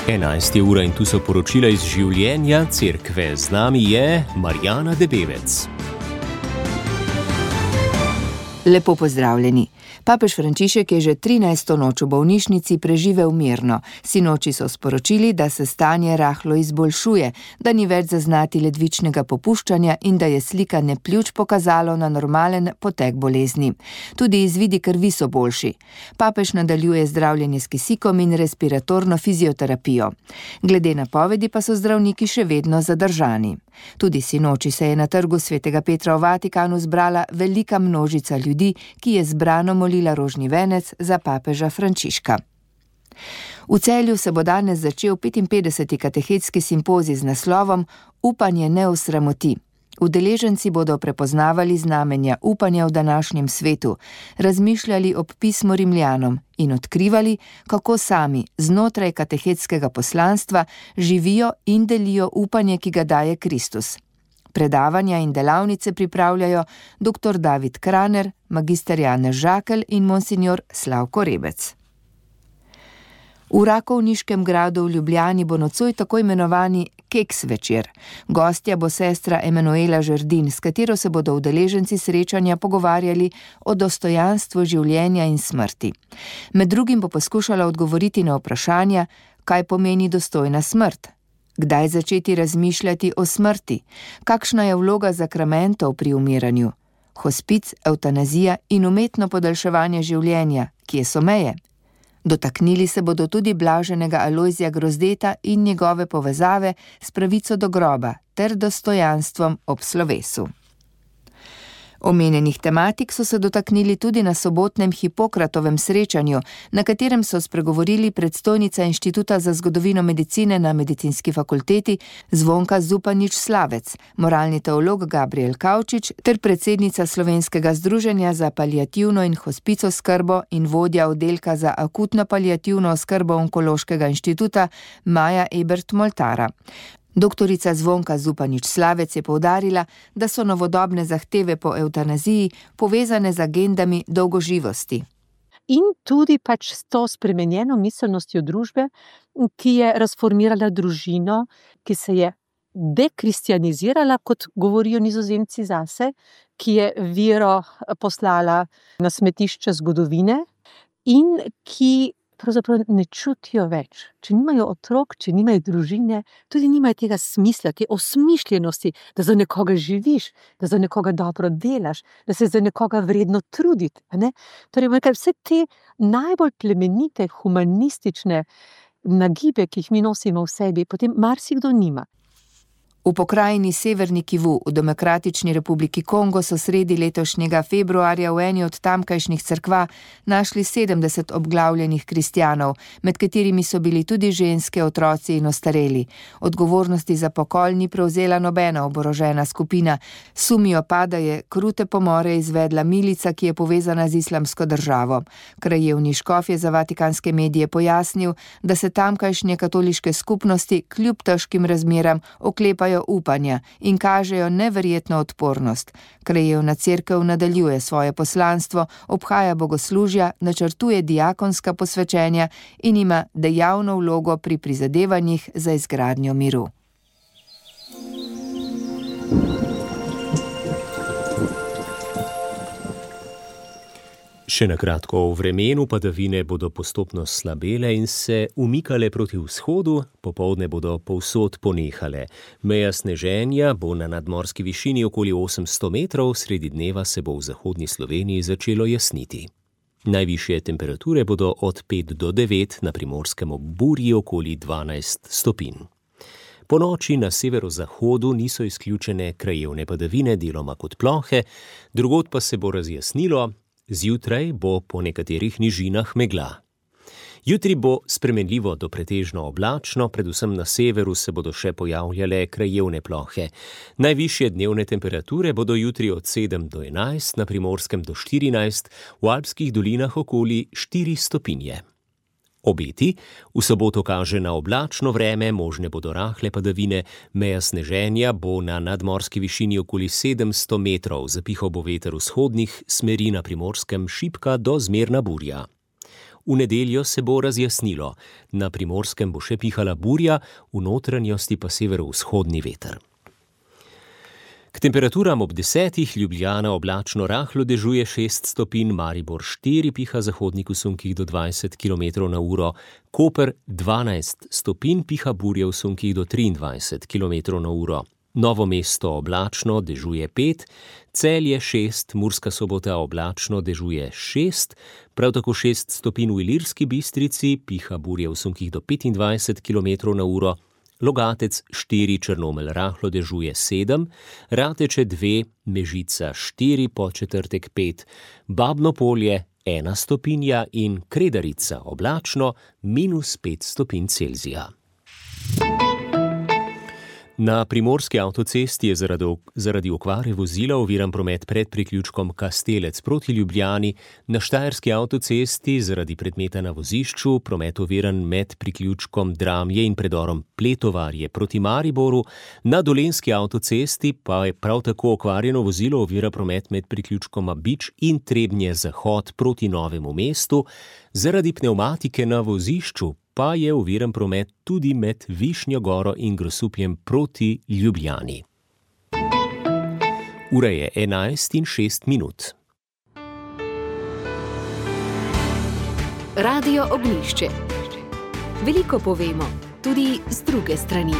11 ura in tu so poročila iz življenja cerkve. Z nami je Marjana Debevec. Lepo pozdravljeni. Papež Frančišek je že 13. noč v bolnišnici preživel mirno. Sinoči so sporočili, da se stanje rahlo izboljšuje, da ni več zaznati ledvičnega popuščanja in da je slikanje pljuč pokazalo na normalen potek bolezni. Tudi izvidi krvi so boljši. Papež nadaljuje zdravljenje s kisikom in respiratorno fizioterapijo. Glede napovedi pa so zdravniki še vedno zadržani. Tudi sinoči se je na trgu Svetega Petra v Vatikanu zbrala velika množica ljudi, ki je zbrano molila rožni venec za papeža Frančiška. V Celju se bo danes začel 55. katehetski simpozij z naslovom Upanje ne osramoti. Udeleženci bodo prepoznavali znamenja upanja v današnjem svetu, razmišljali ob pismu Rimljanom in odkrivali, kako sami znotraj katehetskega poslanstva živijo in delijo upanje, ki ga daje Kristus. Predavanja in delavnice pripravljajo dr. David Kraner, magister Janez Žakelj in monsignor Slavko Rebec. V Rakovniškem gradu v Ljubljani bo nocoj tako imenovani keks večer. Gostja bo sestra Emanuela Žerdin, s katero se bodo udeleženci srečanja pogovarjali o dostojanstvu življenja in smrti. Med drugim bo poskušala odgovoriti na vprašanja, kaj pomeni dostojna smrt, kdaj začeti razmišljati o smrti, kakšna je vloga zakramentov pri umiranju, hospic, evtanazija in umetno podaljševanje življenja, kje so meje. Dotaknili se bodo tudi blaženega Alojzija Grozdeta in njegove povezave s pravico do groba ter dostojanstvom ob slovesu. Omenjenih tematik so se dotaknili tudi na sobotnem Hipokratovem srečanju, na katerem so spregovorili predstojnica Inštituta za zgodovino medicine na Medicinski fakulteti Zvonka Zupanič-Slavec, moralni teolog Gabriel Kavčič ter predsednica Slovenskega združenja za paliativno in hospic oskrbo in vodja oddelka za akutno paliativno oskrbo Onkološkega inštituta Maja Ebert-Moltara. Doktorica Zvonka Zupanič-Slavec je poudarila, da so novodobne zahteve po evtanaziji povezane z agendami dolgoživosti. In tudi s to spremenjeno miselnostjo družbe, ki je razformirala družino, ki se je dekristijanizirala, kot govorijo Nizozemci zase, ki je vero poslala na smetišče zgodovine in ki pravzaprav ne čutijo več. Če nimajo otrok, če nimajo družine, tudi nimajo tega smisla, te osmišljenosti, da za nekoga živiš, da za nekoga dobro delaš, da se za nekoga vredno truditi. Torej, vse te najbolj plemenite, humanistične nagibe, ki jih mi nosimo v sebi, potem marsikdo nima. V pokrajini Severni Kivu v Demokratični republiki Kongo so sredi letošnjega februarja v eni od tamkajšnjih cerkva našli 70 obglavljenih kristjanov, med katerimi so bili tudi ženske, otroci in ostareli. Odgovornosti za pokol ni prevzela nobena oborožena skupina. Sumijo pa, da je krute pomore izvedla milica, ki je povezana z Islamsko državo. Krajevni škof je za vatikanske medije pojasnil, da se tamkajšnje katoliške skupnosti kljub težkim razmeram oklepajo upanja in kažejo neverjetno odpornost. Krajevna cerkev nadaljuje svoje poslanstvo, obhaja bogoslužja, načrtuje diakonska posvečenja in ima dejavno vlogo pri prizadevanjih za izgradnjo miru. Še na kratko o vremenu. Padavine bodo postopno slabele in se umikale proti vzhodu, popoldne bodo povsod ponehale. Meja sneženja bo na nadmorski višini okoli 800 metrov, sredi dneva se bo v zahodni Sloveniji začelo jasniti. Najvišje temperature bodo od 5 do 9, na Primorskem ob Burji okoli 12 stopinj. Po noči na severozahodu niso izključene krajevne padavine, deloma kot plohe, drugod pa se bo razjasnilo. Zjutraj bo po nekaterih nižinah megla. Jutri bo spremenljivo do pretežno oblačno, predvsem na severu se bodo še pojavljale krajevne plohe. Najvišje dnevne temperature bodo jutri od 7 do 11, na Primorskem do 14, v Alpskih dolinah okoli 4 stopinje. Obeti v soboto kaže na oblačno vreme, možne bodo rahle padavine, meja sneženja bo na nadmorski višini okoli 700 metrov, zapihal bo veter vzhodnih smeri, na Primorskem šibka do zmerna burja. V nedeljo se bo razjasnilo. Na Primorskem bo še pihala burja, v notranjosti pa severovzhodni veter. K temperaturam ob 10, Ljubljana oblačno rahlo dežuje 6 stopinj, Maribor 4, piha zahodnik v sunkih do 20 km/h, Koper 12 stopinj, piha burja v sunkih do 23 km/h. Novo mesto oblačno dežuje 5, Celje 6, Murska Sobota oblačno dežuje 6, prav tako 6 stopinj v Ilirski Bistrici, piha burja v sunkih do 25 km/h, Logatec 4, Črnomelj rahlo dežuje 7, Rateče 2, Mežica 4, Podčetrtek 5, Babno Polje 1 stopinja in Kredarica oblačno -5 stopinj Celzija. Na Primorski avtocesti je zaradi okvare vozila oviran promet pred priključkom Kastelec proti Ljubljani, na Štajerski avtocesti zaradi predmeta na vozišču promet oviran med priključkom Dramlje in predorom Pletovarje proti Mariboru, na Dolenjski avtocesti pa je prav tako okvarjeno vozilo ovira promet med priključkoma Bič in Trebnje Zahod proti Novemu mestu, zaradi pnevmatike na vozišču pa je oviran promet tudi med Višnjo Goro in Grosupljem proti Ljubljani. Ura je 11:06. Radio Ognjišče. Veliko povemo, tudi z druge strani.